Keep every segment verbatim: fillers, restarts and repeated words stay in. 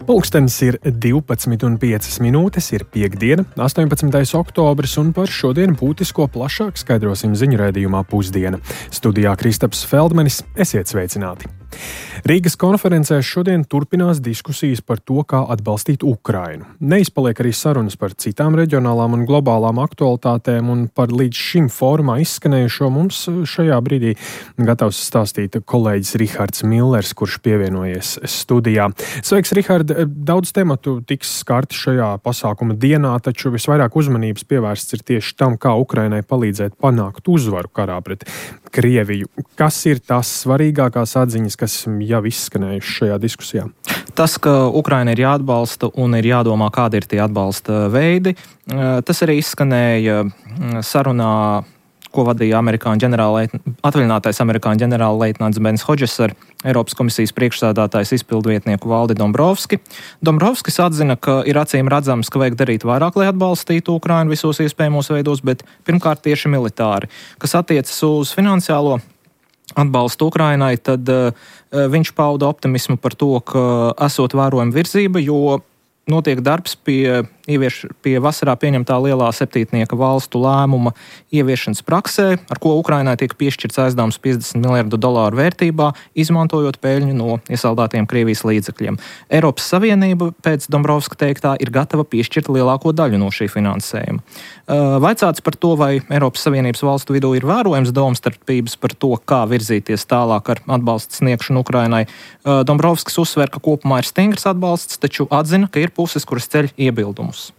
Pulkstenis ir divpadsmit un piecas minūtes, ir piektdiena, astoņpadsmitais oktobris, un par šodien būtisko plašāk skaidrosim ziņu raidījumā Pusdiena. Studijā Kristaps Feldmanis, esiet sveicināti! Rīgas konferencē šodien turpinās diskusijas par to, kā atbalstīt Ukrainu. Neizpaliek arī sarunas par citām reģionālām un globālām aktualitātēm, un par līdz šim fórumā izskanējušo mums šajā brīdī gatavs stāstīt kolēģis Rihards Millers, kurš pievienojies studijā. Sveiks, Rihard! Daudz tematu tiks skarti šajā pasākuma dienā, taču visvairāk uzmanības pievērsts ir tieši tam, kā Ukrainai palīdzēt panākt uzvaru karā pret Krieviju. Kas ir tās svarīgākās atziņas, kas jau izskanējuši šajā diskusijā? Tas, ka Ukraina ir jāatbalsta un ir jādomā, kādi ir tie atbalsta veidi, tas arī izskanēja sarunā, ko vadīja amerikāņu ģenerālleitn... atvaļinātais amerikāņu ģenerālleitnants Bens Hodžes ar Eiropas komisijas priekšsēdētājs izpildvietnieku Valdi Dombrovski. Dombrovskis atzina, ka ir acīm redzams, ka vajag darīt vairāk, lai atbalstītu Ukrainu visos iespējamos veidos, bet pirmkārt tieši militāri. Kas attiecas uz finansiālo atbalstu Ukrainai, tad uh, viņš pauda optimismu par to, ka esot vērojama virzība, jo notiek darbs pie, ievieš, pie vasarā pieņemtā lielā septītnieka valstu lēmuma ieviešanas praksē, ar ko Ukrainai tiek piešķirts aizdevums piecdesmit miljardu dolāru vērtībā, izmantojot peļņu no iesaldētiem Krievijas līdzekļiem. Eiropas Savienība pēc Dombrovska teiktā ir gatava piešķirt lielāko daļu no šī finansējuma. Vaicāts par to, vai Eiropas Savienības valstu vidū ir vērojams domstarpības par to, kā virzīties tālāk ar atbalstu sniegšanu Ukrainai. Dombrovskis uzsver, ka kopumā ir stingrs atbalsts, taču atzina, ka ir puses, kuras ceļ iebildumus.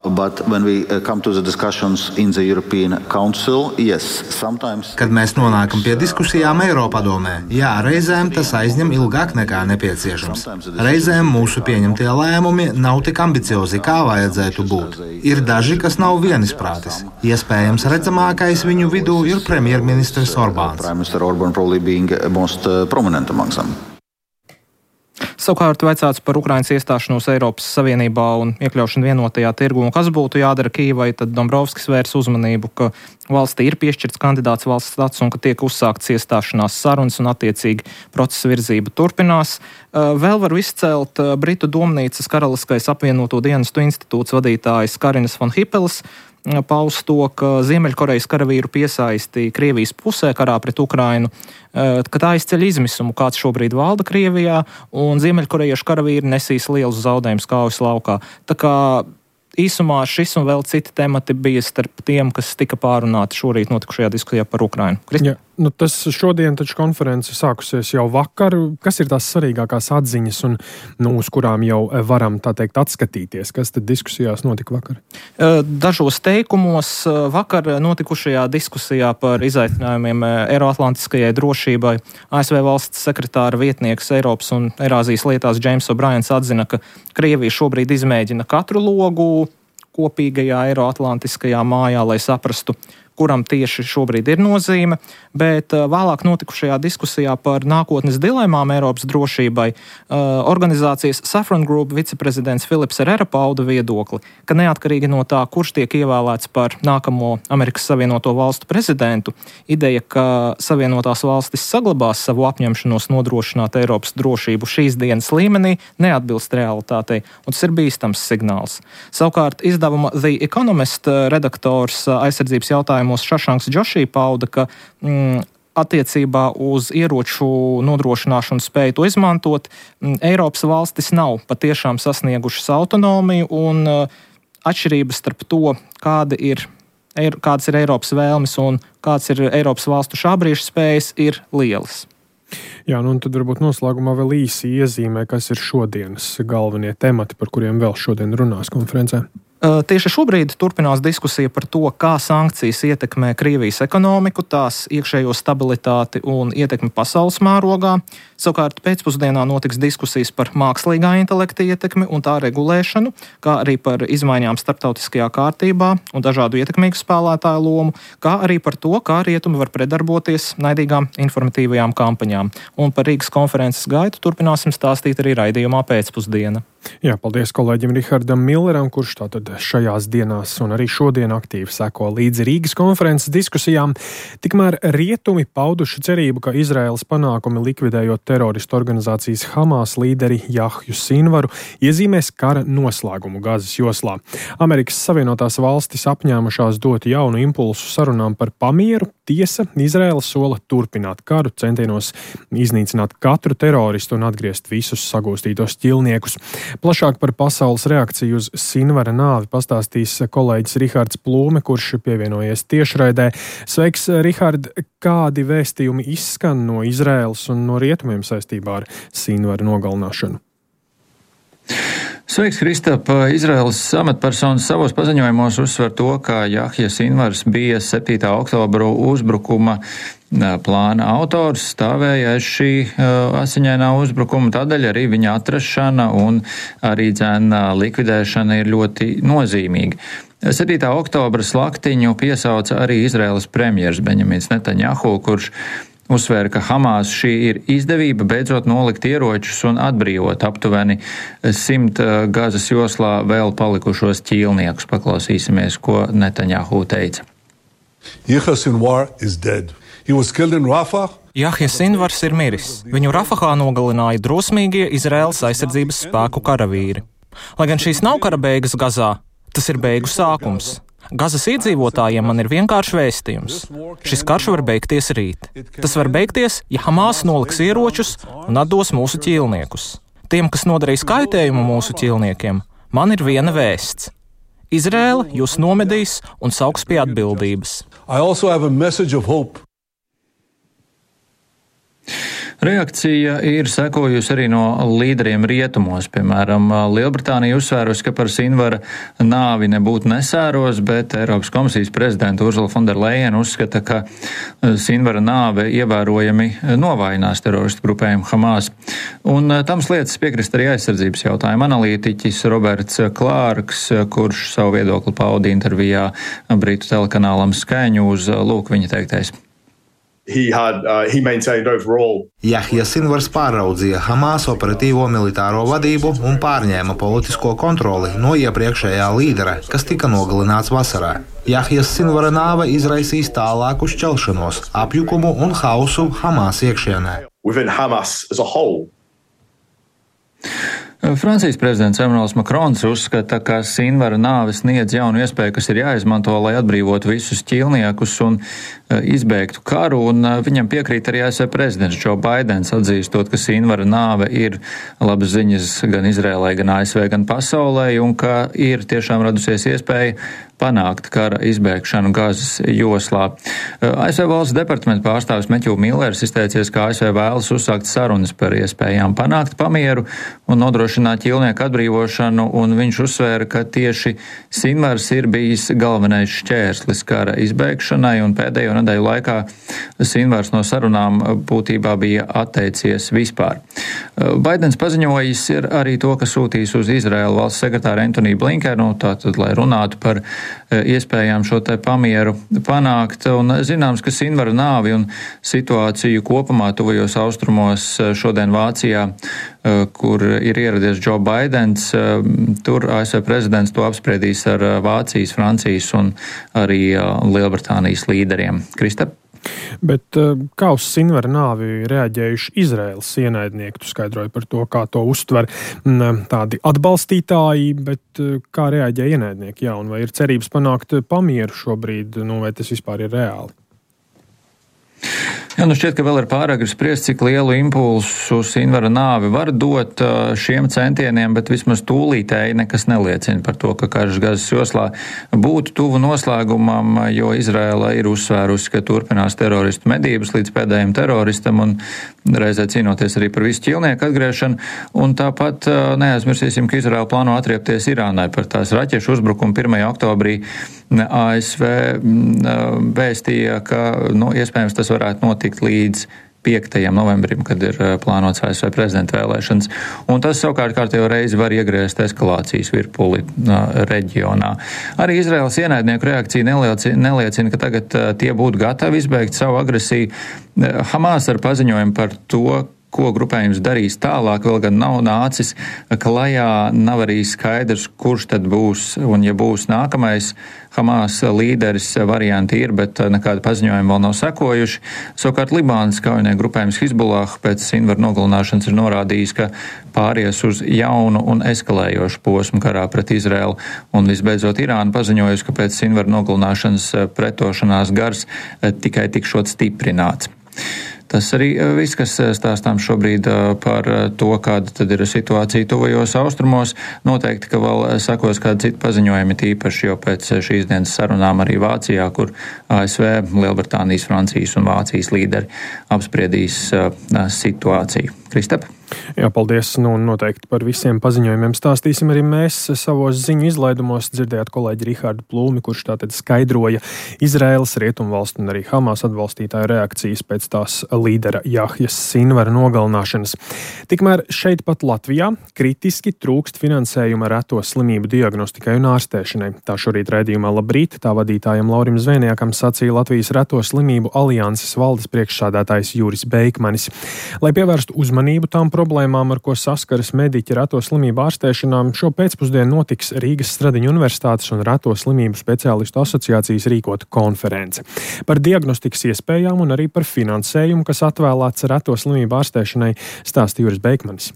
But when we come to the discussions in the European Council, yes, sometimes... Kad mēs nonākam pie diskusijām Eiropadomē, jā, reizēm tas aizņem ilgāk nekā nepieciešams. Reizēm mūsu pieņemtie lēmumi nav tik ambiciozi, kā vajadzētu būt. Ir daži, kas nav vienisprātis. Iespējams, redzamākais viņu vidū ir premjerministrs Orbāns. Prime Minister Orban probably being most prominent among them. Savukārt vaicāts par Ukrainas iestāšanos Eiropas Savienībā un iekļaušanu vienotajā tirgu, un kas būtu jādara Kijevai, tad Dombrovskis vērs uzmanību, ka valstī ir piešķirts kandidāts valsts status un ka tiek uzsākts iestāšanās sarunas un attiecīgi procesa virzība turpinās. Vēl var izcelt Britu domnīcas Karaliskais apvienoto dienestu institūts vadītājs Karinas von Hipeles, paust to, ka Ziemeļkorejas karavīru piesaisti Krievijas pusē karā pret Ukrainu, ka tā izceļ izmisumu, kāds šobrīd valda Krievijā, un ziemeļkorejiešu karavīri nesīs lielus zaudējumus kaujas laukā. Tā kā īsumā šis un vēl citi temati bija starp tiem, kas tika pārunāti šorīt notikušajā diskusijā par Ukrainu. Kristi? Ja, nu tas šodien taču konference sākusies jau vakar. Kas ir tās svarīgākās atziņas, un nu, uz kurām jau varam, tā teikt, atskatīties? Kas tad diskusijās notika vakar? Dažos teikumos vakar notikušajā diskusijā par izaicinājumiem Eiroatlantiskajai drošībai A S V valsts sekretāra vietnieks Eiropas un Eirāzijas lietās Džeims O'Briens atzina, ka Krievija šobrīd izmēģina katru logu kopīgajā Eiroatlantiskajā mājā, lai saprastu, kuram tieši šobrīd ir nozīme, bet vēlāk notikušajā diskusijā par nākotnes dilemām Eiropas drošībai organizācijas Safran Group viceprezidents Filips Herrera pauda viedokli, ka neatkarīgi no tā, kurš tiek ievēlēts par nākamo Amerikas Savienoto Valstu prezidentu, ideja, ka Savienotās valstis saglabās savu apņemšanos nodrošināt Eiropas drošību šīs dienas līmenī, neatbilst realitātei, un tas ir bīstams signāls. Savukārt izdevuma The Economist redaktors aizsardzības jautājumu Šašanks Džošī pauda, ka mm, attiecībā uz ieroču nodrošināšanu spēju to izmantot, mm, Eiropas valstis nav patiešām sasniegušas autonomiju, un uh, atšķirības starp to, kāda ir, er, kādas ir Eiropas vēlmes un kāds ir Eiropas valstu šābrīšu spējas, ir lielas. Jā, nu un tad varbūt noslēgumā vēl īsi iezīmē, kas ir šodienas galvenie temati, par kuriem vēl šodien runās konferencē. Tieši šobrīd turpinās diskusija par to, kā sankcijas ietekmē Krievijas ekonomiku, tās iekšējo stabilitāti un ietekmi pasaules mērogā. Savukārt pēcpusdienā notiks diskusijas par mākslīgā intelekta ietekmi un tā regulēšanu, kā arī par izmaiņām starptautiskajā kārtībā un dažādu ietekmīgu spēlētāju lomu, kā arī par to, kā rietumi var predarboties naidīgām informatīvajām kampaņām. Un par Rīgas konferences gaitu turpināsim stāstīt arī raidījumā Pēcpusdiena. Jā, paldies kolēģim Rihardam Milleram, kurš tātad šajās dienās un arī šodien aktīvi seko līdzi Rīgas konferences diskusijām. Tikmēr rietumi pauduši cerību, ka Izraēlas panākumi likvidējot teroristu organizācijas Hamas līderi Jahju Sinvaru iezīmēs kara noslēgumu Gazas joslā. Amerikas Savienotās valstis apņēmušās dot jaunu impulsu sarunām par pamieru. Tiesa, Izraēla sola turpināt karu, centienos iznīcināt katru teroristu un atgriezt visus sagūstītos ķilniekus. Plašāk par pasaules reakciju uz Sinvara nāvi pastāstīs kolēģis Rihards Plūme, kurš pievienojies tiešraidē. Sveiks, Rihard! Kādi vēstījumi izskan no Izraēlas un no rietumiem saistībā ar Sinvara nogalināšanu? Sveiks, Kristap! Izraēlas amatpersonas savos paziņojumos uzsver to, ka Jahja Sinvars bija septītā oktobra uzbrukuma plāna autors, stāvēja aiz šī uh, asiņainā uzbrukuma, tādēļ arī viņa atrašana un arī dzēna likvidēšana ir ļoti nozīmīga. septītā oktobra slaktiņu piesauca arī Izraēlas premjers Benjamins Netanjahu, kurš uzsvēra, ka Hamas šī ir izdevība beidzot nolikt ieročus un atbrīvot aptuveni simt Gazas joslā vēl palikušos ķīlniekus. Paklausīsimies, ko Netanjahu teica. Yahya Sinwar is dead. He was killed in Rafah. Jahja Sinvars ir miris. Viņu Rafahā nogalināja drosmīgie Izraēlas aizsardzības spēku karavīri. Lai gan šīs nav kara beigas Gazā, tas ir beigu sākums. Gazas iedzīvotājiem man ir vienkārši vēstījums. Šis karš var beigties rīt. Tas var beigties, ja Hamas noliks ieročus un atdos mūsu ķīlniekus. Tiem, kas nodarīs kaitējumu mūsu ķīlniekiem, man ir viena vēsts. Izraēla jūs nomedīs un sauks pie atbildības. I also have a message of hope. Reakcija ir sekojusi arī no līderiem rietumos. Piemēram, Lielbritānija uzsvērusi, ka par Sinvara nāvi nebūtu nesēros, bet Eiropas komisijas prezidenta Ursula von der Leyen uzskata, ka Sinvara nāve ievērojami novājinās teroristu grupējumu Hamas. Un tam lietas piekrist arī aizsardzības jautājuma analītiķis Roberts Klārks, kurš savu viedokli pauda intervijā Britu telekanālam Sky News. Lūk, viņa teiktais. He had, uh, he maintained overall. Jahja Sinvars pāraudzīja Hamas operatīvo militāro vadību un pārņēma politisko kontroli no iepriekšējā līdera, kas tika nogalināts vasarā. Jahjas Sinvara nāve izraisīs tālāku šķelšanos, apjukumu un hausu Hamas iekšienē. Within Hamas as a whole. Francijas prezidents Emmanuels Macrons uzskata, ka Sinvara nāve sniedz jaunu iespēju, kas ir jāizmanto, lai atbrīvotu visus ķīlniekus un izbeigtu karu, un viņam piekrīt arī A S V prezidents Joe Baidens, atzīstot, ka Sinvara nāve ir labas ziņas gan Izrēlai, gan A S V, gan pasaulē, un ka ir tiešām radusies iespēja panākt kara izbēgšanu Gazas joslā. A S V valsts departamenta pārstāvis Matthew Millers izteicies, ka A S V vēlas uzsākt sarunas par iespējām panākt pamieru un nodrošināt ķīlnieku atbrīvošanu, un viņš uzsvēra, ka tieši Sinvars ir bijis galvenais šķērslis kara izbēgšanai, un pēdējo nedēļu laikā Sinvars no sarunām būtībā bija atteicies vispār. Baidens paziņojis ir arī to, ka sūtīs uz Izraēlu valsts sekretāru Antony Blinkenu, tātad, lai runātu par iespējām šo te pamieru panākt, un zināms, ka Sinvara nāvi un situāciju kopumā tuvajos austrumos šodien Vācijā, kur ir ieradies Joe Baidens, tur A S V prezidents to apspriedīs ar Vācijas, Francijas un arī Lielbritānijas līderiem. Kristap? Bet kā uz Sinvara nāvi reaģējuši Izraēlas ienaidnieki? Tu skaidroji par to, kā to uztver tādi atbalstītāji, bet kā reaģē ienaidnieki? Jā, un vai ir cerības panākt pamieru šobrīd, nu, vai tas vispār ir reāli? Jā, nu šķiet, ka vēl ir pāragri spriest, cik lielu impulsu Sinvara nāve var dot šiem centieniem, bet vismaz tūlītēji nekas neliecina par to, ka karš Gazas joslā būtu tuvu noslēgumam, jo Izraēla ir uzsvērusi, ka turpinās teroristu medības līdz pēdējiem teroristam un reizē cīnoties arī par visu ķīlnieku atgriešanu. Un tāpat neaizmirsīsim, ka Izraēla plāno atriepties Irānai par tās raķešu uzbrukumu pirmajā oktobrī. A S V vēstīja, ka nu, iespējams tas varētu notikt līdz piektajam novembrim, kad ir plānots A S V prezidenta vēlēšanas. Un tas savukārt kārtējo reizi var iegriezt eskalācijas virpuli reģionā. Arī Izraēlas ienaidnieku reakcija neliecina, neliecina, ka tagad tie būtu gatavi izbeigt savu agresiju. Hamas ar paziņojumu par to, ko grupējums darīs tālāk, vēl gan nav nācis klajā, nav arī skaidrs, kurš tad būs, un ja būs nākamais Hamas līderis, varianti ir, bet nekāda paziņojuma vēl nav sekojuši. Savukārt Libānas kaujinieku grupējums Hizbullah pēc Sinvaru nogalināšanas ir norādījis, ka pāries uz jaunu un eskalējošu posmu karā pret Izraēlu, un visbeidzot Irāna paziņojusi, ka pēc Sinvaru nogalināšanas pretošanās gars tikai tikšot stiprināts. Tas arī viss, kas stāstām šobrīd par to, kāda tad ir situācija tuvajos austrumos. Noteikti, ka vēl sakos kādi citi paziņojumi, tīpaši jau pēc šīs dienas sarunām arī Vācijā, kur A S V, Lielbritānijas, Francijas un Vācijas līderi apspriedīs situāciju. Kristap? Jā, paldies. Nu, noteikti par visiem paziņojumiem stāstīsim arī mēs savos ziņu izlaidumos. Dzirdējāt kolēģi Rihardu Plūmi, kurš tātad skaidroja Izraēlas, Rietumvalstu un arī Hamas atbalstītāju reakcijas pēc tās līdera Jahjas Sinvara nogalināšanas. Tikmēr šeit pat Latvijā kritiski trūkst finansējuma reto slimību diagnostikai un ārstēšanai. Tā šorīt raidījumā Labrīt tā vadītājam Laurim Zvēniekam sacīja Latvijas reto slimību alianses valdes priekšsādātājs Juris Beikmanis. Lai pievērstu uzmanību tām problēmām, ar ko saskaras mediķi reto slimību ārstēšanām, šo pēcpusdienu notiks Rīgas Stradiņu Universitātes un reto slimību speciālistu asociācijas rīkota konference. Par diagnostikas iespējām un arī par finansējumu, kas atvēlēts reto slimību ārstēšanai, stāsta Juris Beikmanis.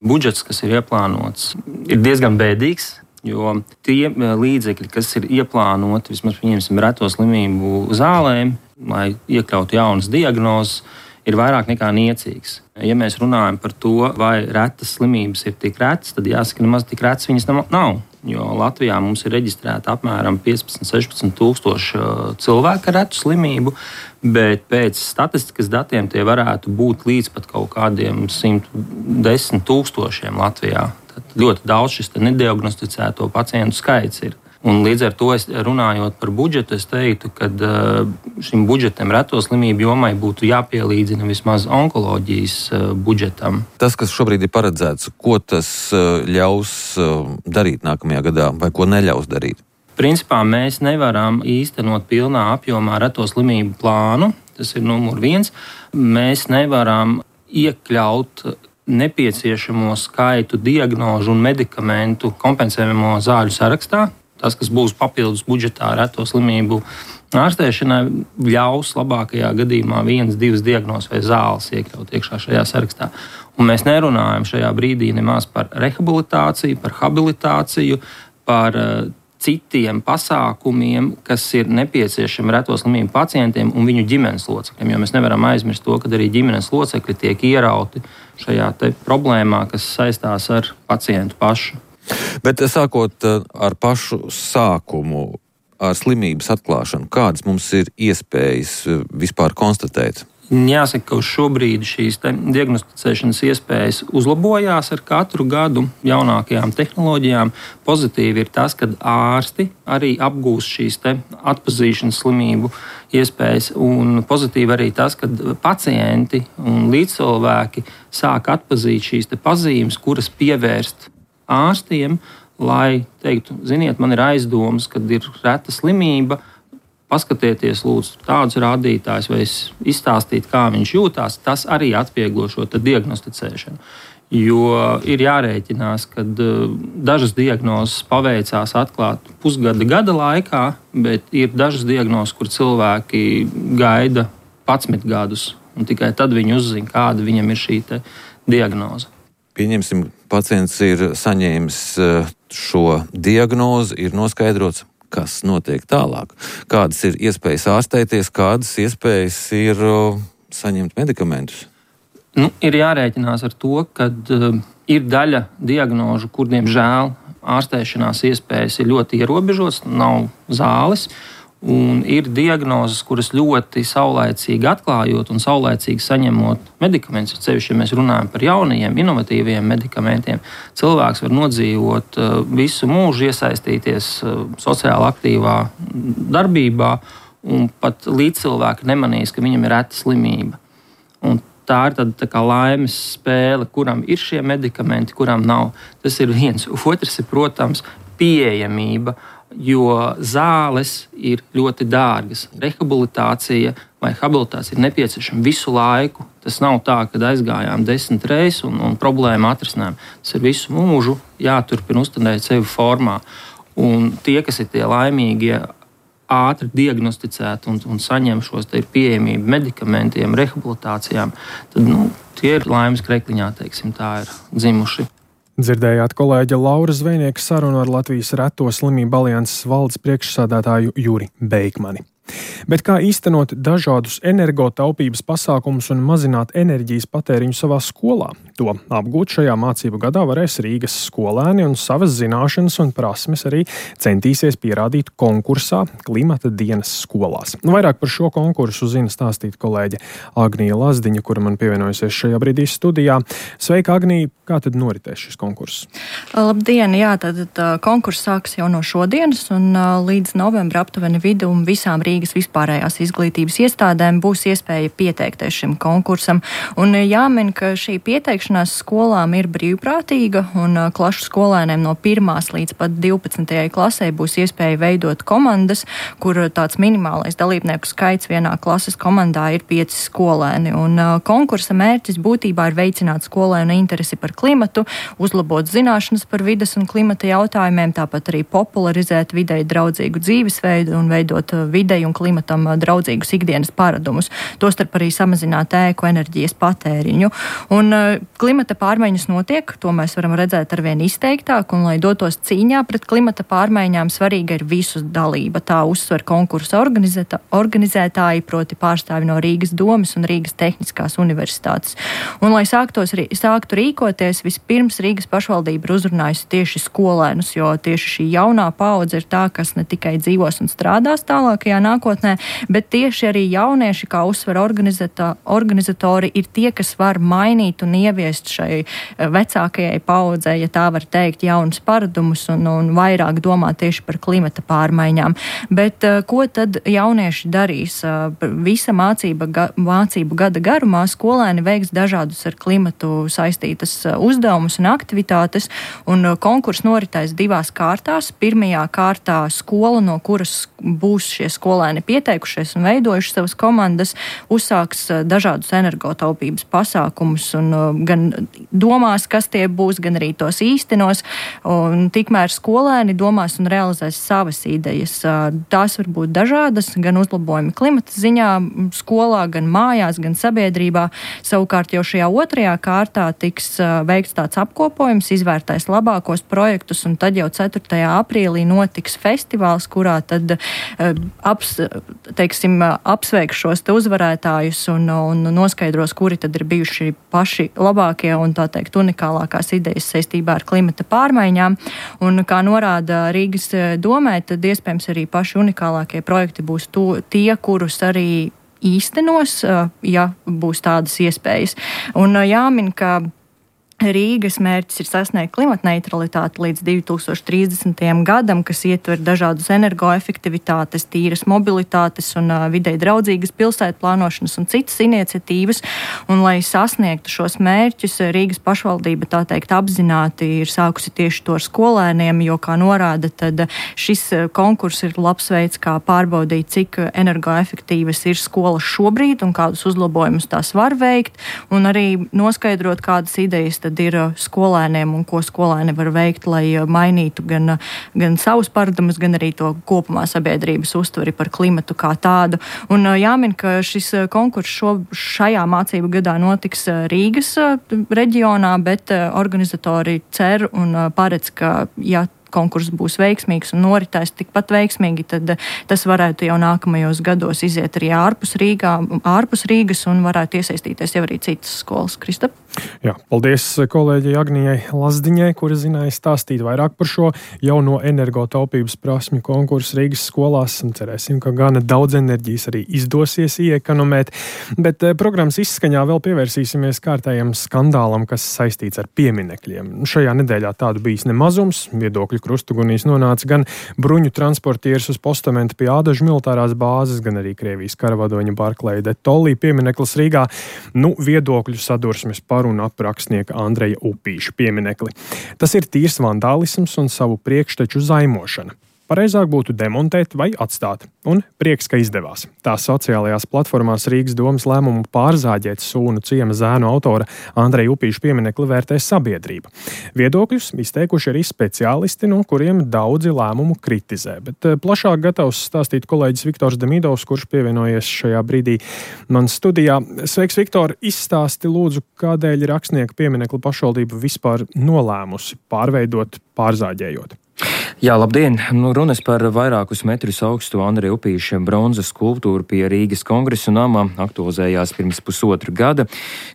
Budžets, kas ir ieplānots, ir diezgan bēdīgs, jo tie līdzekļi, kas ir ieplānoti, vismaz pieņemsim reto slimību zālēm, lai iekļautu jaunas diagnozes, ir vairāk nekā niecīgs. Ja mēs runājam par to, vai retas slimības ir tik retas, tad jāsaka, nemaz tik retas viņas nav. Jo Latvijā mums ir reģistrēta apmēram piecpadsmit līdz sešpadsmit tūkstoši cilvēku ar retu slimību, bet pēc statistikas datiem tie varētu būt līdz pat kaut kādiem simt desmit tūkstošiem Latvijā. Tad ļoti daudz šis nediagnosticēto pacientu skaits ir. Un līdz ar to, es, runājot par budžetu, es teiktu, ka šim budžetam reto slimību jomai būtu jāpielīdzina vismaz onkoloģijas budžetam. Tas, kas šobrīd ir paredzēts, ko tas ļaus darīt nākamajā gadā vai ko neļaus darīt? Principā mēs nevaram īstenot pilnā apjomā reto slimību plānu. Tas ir numur viens. Mēs nevaram iekļaut nepieciešamo skaitu diagnožu un medikamentu kompensējamo zāļu sarakstā. Tas, kas būs papildus budžetā reto slimību ārstēšanai, ļaus labākajā gadījumā vienas, divas diagnozes vai zāles iekļaut iekšā šajā sarakstā. Un mēs nerunājam šajā brīdī nemaz par rehabilitāciju, par habilitāciju, par uh, citiem pasākumiem, kas ir nepieciešami reto slimību pacientiem un viņu ģimenes locekļiem. Jo mēs nevaram aizmirst to, ka arī ģimenes locekļi tiek ierauti šajā te problēmā, kas saistās ar pacientu pašu. Bet sākot ar pašu sākumu, ar slimības atklāšanu, kādas mums ir iespējas vispār konstatēt? Jāsaka, ka uz šo brīdi šīs diagnosticēšanas iespējas uzlabojās ar katru gadu jaunākajām tehnoloģijām. Pozitīvi ir tas, ka ārsti arī apgūst šīs atpazīšanas slimību iespējas, un pozitīvi arī tas, ka pacienti un līdzcilvēki sāk atpazīt šīs pazīmes, kuras pievērst ārstiem, lai teiktu, ziniet, man ir aizdomas, kad ir reta slimība, paskatieties lūdzu tādus rādītājus vai izstāstīt, kā viņš jūtās, tas arī atvieglo šo diagnosticēšanu. Jo ir jārēķinās, ka dažas diagnozes paveicās atklāt pusgada gada laikā, bet ir dažas diagnozes, kur cilvēki gaida padsmit gadus, un tikai tad viņi uzzina, kāda viņam ir šī diagnoze. Pieņemsim, pacients ir saņēmis šo diagnozi, ir noskaidrots, kas notiek tālāk. Kādas ir iespējas ārstēties, kādas iespējas ir saņemt medikamentus? Nu, ir jārēķinās ar to, ka uh, ir daļa diagnožu, kur, diemžēl, ārstēšanās iespējas ir ļoti ierobežotas, nav zāles. Un ir diagnozes, kuras ļoti saulaicīgi atklājot un saulaicīgi saņemot medikamentus, ceļš, ja mēs runājam par jaunajiem, inovatīviem medikamentiem, cilvēks var nodzīvot visu mūžu, iesaistīties sociāli aktīvā darbībā, un pat līdzcilvēki nemanīs, ka viņam ir reta slimība. Un tā ir tāda tā kā laimes spēle, kuram ir šie medikamenti, kuram nav. Tas ir viens. Otrs ir, protams, pieejamība. jo zāles ir ļoti dārgas. Rehabilitācija vai habilitācija ir nepieciešama visu laiku. Tas nav tā, ka aizgājām desmit reizes un, un problēmu atrisinājām. Tas ir visu mūžu jāturpina uzturēt sevi formā. Un tie, kas ir tie laimīgie, ātri diagnosticēti un, un saņem šos te pieejamību medikamentiem, rehabilitācijām, tad nu, tie ir laimes krekliņā, teiksim, tā ir dzimuši. Dzirdējāt kolēģa Laura Zvejnieka sarunu ar Latvijas Reto slimību alianses valdes priekšsādātāju Juri Beikmani. Bet kā īstenot dažādus energotaupības pasākumus un mazināt enerģijas patēriņu savā skolā? To apgūt šajā mācību gadā varēs Rīgas skolēni un savas zināšanas un prasmes arī centīsies pierādīt konkursā Klimata dienas skolās. Vairāk par šo konkursu zina stāstīt kolēģe Agnija Lazdiņa, kura man pievienojusies šajā brīdī studijā. Sveika, Agnija! Kā tad noritēs šis konkurss? Labdien! Jā, tad konkurss sāks jau no šodienas un līdz novembra aptuveni vidu un visām Rīgas vispārējās izglītības iestādēm būs iespēja pieteikties šim konkursam. Un jāmin, ka šī pieteikšanās skolām ir brīvprātīga un klašu skolēniem no pirmās līdz pat divpadsmitajai klasē būs iespēja veidot komandas, kur tāds minimālais dalībnieku skaits vienā klases komandā ir pieci skolēni. Un konkursa mērķis būtībā ir veicināt skolēnu interesi par klimatu, uzlabot zināšanas par vides un klimata jautājumiem, tāpat arī popularizēt videi draudzīgu dzīvesveidu un veidot videi un klimatam draudzīgus ikdienas paradumus, tostarp arī samazināt ēku enerģijas patēriņu. Un klimata pārmaiņas notiek, to mēs varam redzēt arvien izteiktāk, un lai dotos cīņā pret klimata pārmaiņām, svarīga ir visu dalība. Tā uzsver konkursa organizētāji, proti pārstāvi no Rīgas domes un Rīgas Tehniskās universitātes. Un lai sāktos, sāktu rīkoties, vispirms Rīgas pašvaldība ir uzrunājusi tieši skolēnus, jo tieši šī jaunā paudze ir tā, kas ne tikai dzīvos un strādās tālākajā nākotnē, bet tieši arī jaunieši, kā uzsver organizatori, ir tie, kas var mainīt un ieviest šai vecākajai paudzei, ja tā var teikt, jaunus paradumus un, un vairāk domāt tieši par klimata pārmaiņām. Bet ko tad jaunieši darīs? Visa mācība, ga, mācību gada garumā skolēni veiks dažādus ar klimatu saistītas uzdevumus un aktivitātes, un konkurss noritēs divās kārtās. Pirmajā kārtā skola, no kuras būs šie skolēni pieteikušies un veidojuši savas komandas, uzsāks dažādus energotaupības pasākumus un gan domās, kas tie būs, gan arī tos īstenos, un tikmēr skolēni domās un realizēs savas idejas. Tās var būt dažādas, gan uzlabojumi klimata ziņā skolā, gan mājās, gan sabiedrībā. Savukārt jau šajā otrajā kārtā tiks veikts tāds apkopojums, izvērtēs labākos projektus, un tad jau ceturtajā aprīlī notiks festivāls, kurā tad aps, teiksim, apsveiks šos te uzvarētājus un, un noskaidros, kuri tad ir bijuši paši labākie un tā teikt unikālākās idejas saistībā ar klimata pārmaiņām. Un kā norāda Rīgas domē, tad iespējams arī paši unikālākie projekti būs to, tie, kurus arī īstenos, ja būs tādas iespējas. Un jāmin, ka Rīgas mērķis ir sasniegt klimatneitralitāti līdz divi tūkstoši trīsdesmitajam gadam, kas ietver dažādus energoefektivitātes, tīras mobilitātes un uh, videi draudzīgas pilsētu plānošanas un citas iniciatīvas. Un, lai sasniegtu šos mērķus, Rīgas pašvaldība tā teikt apzināti ir sākusi tieši to ar skolēniem, jo, kā norāda, tad šis konkurss ir labs veids, kā pārbaudīt, cik energoefektīvas ir skolas šobrīd un kādus uzlabojumus tās var veikt, un arī noskaidrot, kādas idejas tad ir skolēniem un ko skolēni var veikt, lai mainītu gan, gan savus paradumus, gan arī to kopumā sabiedrības uztveri par klimatu kā tādu. Un jāmin, ka šis konkurss šo, šajā mācību gadā notiks Rīgas reģionā, bet organizatori cer un paredz, ka, ja konkurss būs veiksmīgs un noritēs tikpat veiksmīgi, tad tas varētu jau nākamajos gados iziet arī ārpus, Rīgā, ārpus Rīgas un varētu iesaistīties jau arī citas skolas. Kristap? Jā, paldies kolēģei Agnijai Lazdiņai, kura zināja stāstīt vairāk par šo jauno energotaupības prasmju konkursu Rīgas skolās. Cerēsim, ka gana daudz enerģijas arī izdosies iekonomēt. Bet programmas izskaņā vēl pievērsīsimies kārtējam skandālam, kas saistīts ar pieminekļiem. Šajā nedēļā tādu bijis nemazums. Viedokļu krustugunīs nonāca gan bruņu transportieris uz postamenta pie Ādažu militārās bāzes, gan arī Krievijas karavadoņa Barclay de Tolly piemineklis Rīgā. Nu, viedokļu sadursmes par un ap rakstnieka Andreja Upīša pieminekli. Tas ir tīrs vandālisms un savu priekšteču zaimošana. pareizāk būtu demontēt vai atstāt. Un prieks, ka izdevās. Tā sociālajās platformās Rīgas domas lēmumu pārzāģēt Sūnu ciema zēnu autora Andreja Upīša pieminekli vērtē sabiedrība. Viedokļus izteikuši arī speciālisti, no kuriem daudzi lēmumu kritizē. Bet plašāk gatavs stāstīt kolēģis Viktors Demidovs, kurš pievienojies šajā brīdī man studijā. Sveiks, Viktor! Izstāsti lūdzu, kādēļ rakstnieku pieminekli pašvaldība vispār nolēmusi pārveidot, pārzāģējot. Jā, labdien! Nu, runas par vairākus metrus augstu Andreja Upīša bronzas skulptūru pie Rīgas Kongresa namā aktualizējās pirms pusotra gada,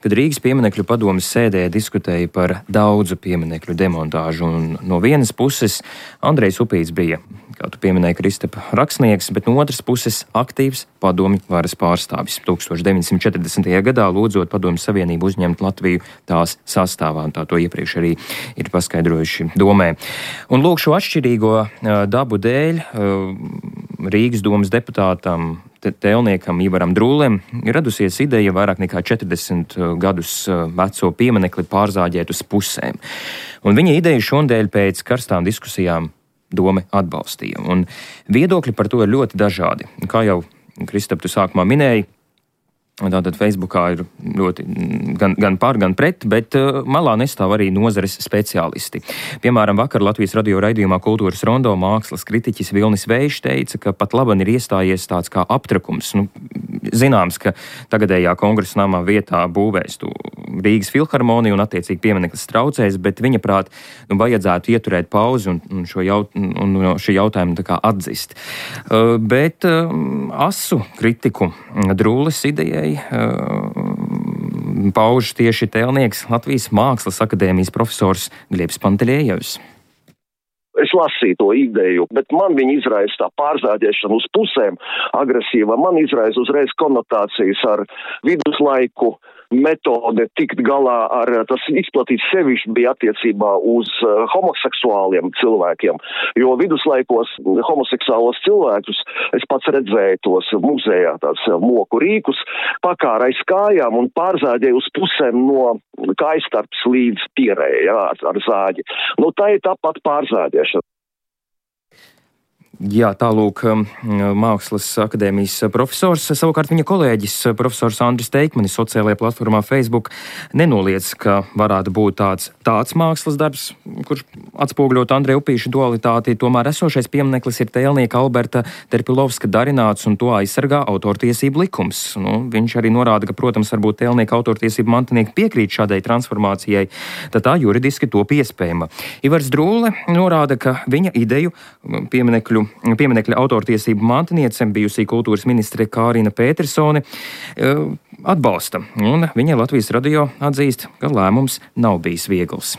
kad Rīgas pieminekļu padomes sēdē diskutēja par daudzu pieminekļu demontāžu. Un no vienas puses Andrejs Upīts bija, kā tu pieminēji, Kristapa, rakstnieks, bet no otras puses aktīvs padomju varas pārstāvis. tūkstoš deviņsimt četrdesmitajā gadā lūdzot Padomju Savienību uzņemt Latviju tās sastāvā, un tā to iepriekš arī ir paskaidrojuši domē. Un lūk, šo atšķirīgo dabu dēļ Rīgas domas deputātam tēlniekam Ivaram Drūlem ir radusies ideja vairāk nekā četrdesmit gadus veco pieminekli pārzāģēt uz pusēm. Un viņa ideja šodien pēc karstām diskusijām doma atbalstīja. Un viedokļi par to ir ļoti dažādi. Kā jau Kristap, tu sākumā minēji, tātad Facebookā ir ļoti gan, gan par, gan pret, bet uh, malā nestāv arī nozares speciālisti. Piemēram, vakar Latvijas radio raidījumā Kultūras rondo mākslas kritiķis Vilnis Vējš teica, ka pat laban ir iestājies tāds kā aptrakums. Nu, zināms, ka tagadējā kongresa namā vietā būvēs tu Rīgas filharmoniju un attiecīgi piemineklis traucēs, bet viņa prāt, nu, vajadzētu ieturēt pauzi un, un šo jaut, un, un šī jautājumu tā kā atzist. Uh, bet uh, asu kritiku Drūles idejai pauž tieši tēlnieks Latvijas Mākslas akadēmijas profesors Gliebs Pantelējevs. Es lasīju to ideju, bet man viņa izraisa tā pārzāģēšana uz pusēm agresīva. Man izraisa uzreiz konotācijas ar viduslaiku metode tikt galā ar, tas izplatīts sevišķi bija attiecībā uz uh, homoseksuāliem cilvēkiem, jo viduslaikos homoseksuālos cilvēkus es pats redzēju tos muzejā, tāds moku rīkus, pakāra aiz kājām un pārzāģēju uz pusēm no kājstarps līdz pierēja, jā, ar, ar zāģi. Nu, tā ir tāpat pārzāģēšana. Jā, tālūk Mākslas akadēmijas profesors. Savukārt viņa kolēģis profesors Andris Teikmanis sociālajā platformā Facebook nenoliedz, ka varētu būt tāds, tāds mākslas darbs, kurš atspoguļot Andreja Upīša dualitāti. Tomēr esošais piemineklis ir tēlnieka Alberta Terpilovska darināts un to aizsargā autortiesību likums. Nu, viņš arī norāda, ka, protams, varbūt tēlnieka autortiesību mantinieki piekrīt šādai transformācijai, tad tā juridiski to iespējama. Ivars Drūle norāda, ka viņa ideju pieminekļu Pieminekļa autortiesību mantiniece, bijusī kultūras ministre Kārina Pētersone, atbalsta, un viņa Latvijas radio atzīst, ka lēmums nav bijis viegls.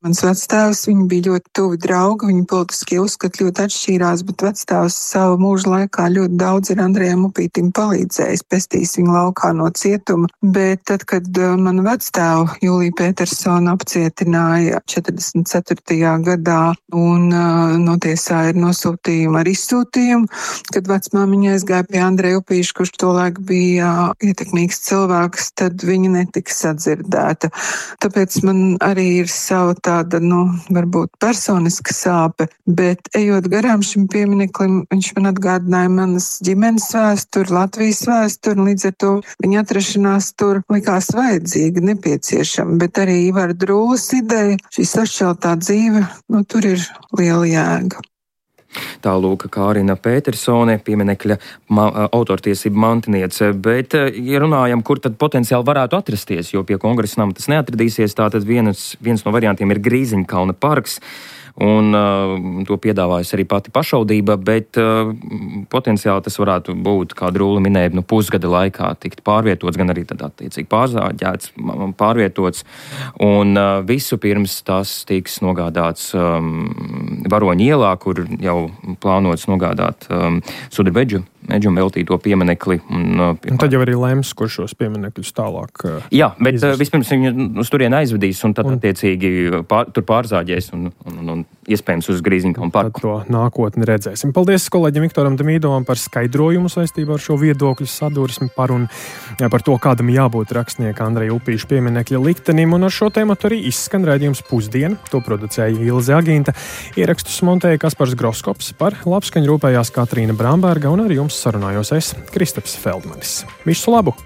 Mans vectēvs, viņi bija ļoti tuvi draugi, viņi politiski uzskati ļoti atšķīrās, bet vectēvs savu mūžu laikā ļoti daudz ir Andrejam Upītim palīdzējis, pestījis viņu laukā no cietuma, bet tad, kad manu vectēvu Juliju Pētersonu apcietināja četrdesmit ceturtajā gadā un uh, notiesāja ar nosūtījumu ar izsūtījumu, kad vecmāmiņa aizgāja pie Andreja Upīša, kurš tolaik bija uh, ietekmīgs cilvēks, tad viņa netika sadzirdēta. Tāpēc man arī ir sava tā tāda, nu, varbūt personiska sāpe, bet ejot garām šim piemineklim, viņš man atgādināja manas ģimenes vēsturi, Latvijas vēsturi, un līdz ar to viņa atrašanās tur likās vajadzīga, nepieciešama, bet arī Ivara Drūles ideja, šī sašķeltā dzīve, nu, tur ir liela jēga. Tālūk Kārina Pētersone, pieminekļa ma autortiesību mantiniece, bet, ja runājam, kur tad potenciāli varētu atrasties, jo pie kongresa nama tas neatradīsies, tātad viens, viens no variantiem ir Grīziņkalna parks, un uh, to piedāvājas arī pati pašvaldība, bet uh, potenciāli tas varētu būt, kā Drūle minēja, nu, pusgada laikā tikt pārvietots, gan arī tad attiecīgi pārzāģēts, pārvietots, un uh, visu pirms tas tiks nogādāts um, Varoņu ielā, kur jau plānots nogādāt um, Sudrabeģu Meģum veltīto pieminekli. Un, uh, un tad jau arī lems, kur šos pieminekļus tālāk uh, Jā, bet izvest. Vispirms viņu uz turien aizvedīs un tad un... attiecīgi pār, tur pārzāģēs un, un, un iespējams uz Grīziņkalnu parku. Tad to nākotni redzēsim. Paldies kolēģim Viktoram Demīdovam par skaidrojumu saistībā ar šo viedokļu sadursmi par un par to, kādam jābūt rakstnieka Andreja Upīša pieminekļa liktenim, un ar šo tēmatu arī izskan raidījums Pusdiena. To producēja Ilze Agīnta, ierakstus montēja Kaspars Groskops, par labskaņu rūpējās Katrīna Bramberga, un ar jums sarunājos es, Kristaps Feldmanis. Visu labu!